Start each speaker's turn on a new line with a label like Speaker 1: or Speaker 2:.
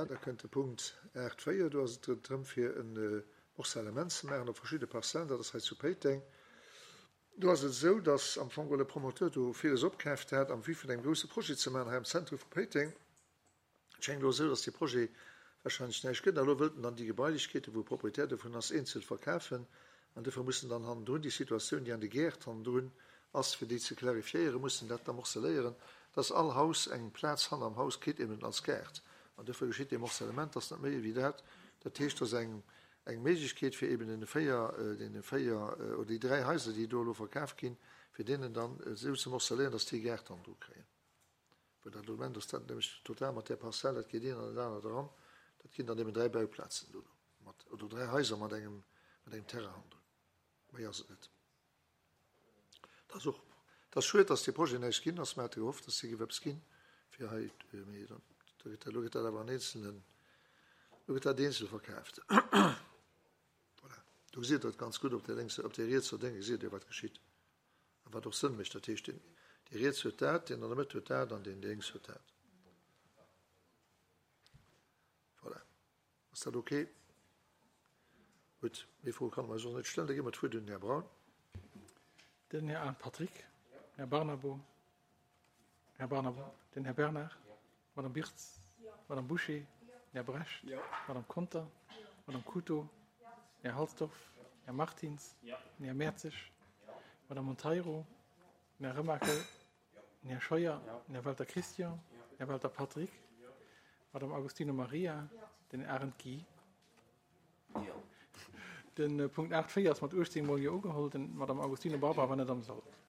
Speaker 1: Voilà, da kënnt de Punkt 8,4. Do ass et drëm, fir e Morcellement ze maachen op verschidde Parzellen. Dat ass hei zu Péiteng. Do ass et esou, dass am Fong geholl e Promoteur do villes opkaaft hat am Vue vun engem grousse Projet ze maachen hei am Zentrum vu Péiteng. Et schéngt elo esou, dass dee Projet wahrscheinlech näischt gëtt. A elo wëllt en dann déi Gebailechkeeten, wou e Proprietär dovun ass, eenzel verkafen. An dofir muss en dann hannendrun déi Situatioun, déi an de Gäert hannendrun ass, fir déi ze clarifiéieren, muss en dat da morceléieren, dass all Haus eng Plaz hanner am Haus kritt, eben als Gaart. An dofir geschitt dee Morcellement. Dat ass net méi ewéi dat. Dat heescht, dass eng Eng Méiglechkeet fir eben deene 4, deene 4 oder déi 3 Haiser, déi do elo verkaf ginn, fir deenen dann esou ze morcelléieren, dass déi e Gaart dann dru kréien. Well dat Moment ass dat nämlech total mat där Parzell, dat geet een an dat anert eran, dat ginn dann eben 3 Bauplazen dono mat, oder 3 Haiser mat engem, mat engem Terrain hannendrun. Méi ass et net. Dat ass och, dat ass schued, dass dee Projet näischt ginn ass. Mer hate gehofft, dass dee géif eppes ginn, fir hei, mee da gëtt dat, elo gëtt dat awer an eenzelnen, elo gëtt dat eenzel verkaaft. Voilà. Do gesitt Der et ganz gutt op där lénkser, op där rietser Dénge gesitt Dir, wat geschitt a wat och Sënn mécht. Dat heescht, deen, dee riets huet dat, deen an der Mëtt huet dat an deen lénks huet dat. Voilà. Ass dat ok? Gutt, méi Froe kann e mer eis och net stellen. Da gi mer d'Wuert un den Här Braun.
Speaker 2: Den Här Arndt Patrick, Här Barnabo, Här Barnabo, den Här Bernard, Madame Birtz, Madame Bouché, Här Brecht, Madame Conter, Madame Couto, Här Halsdorf, Här Martins, den Här Mertzig, Madame Monteiro, den Här Remakel, Den Här Scheuer, den Här Welter Christian, den Här Welter Patrick, d'Madame Agostino Maria, den Här Arendt Guy. Den Punkt 8, 4 ass mat 18 mol Jo ugeholl. Den d'Madame Agostino Barbara war net am Sall.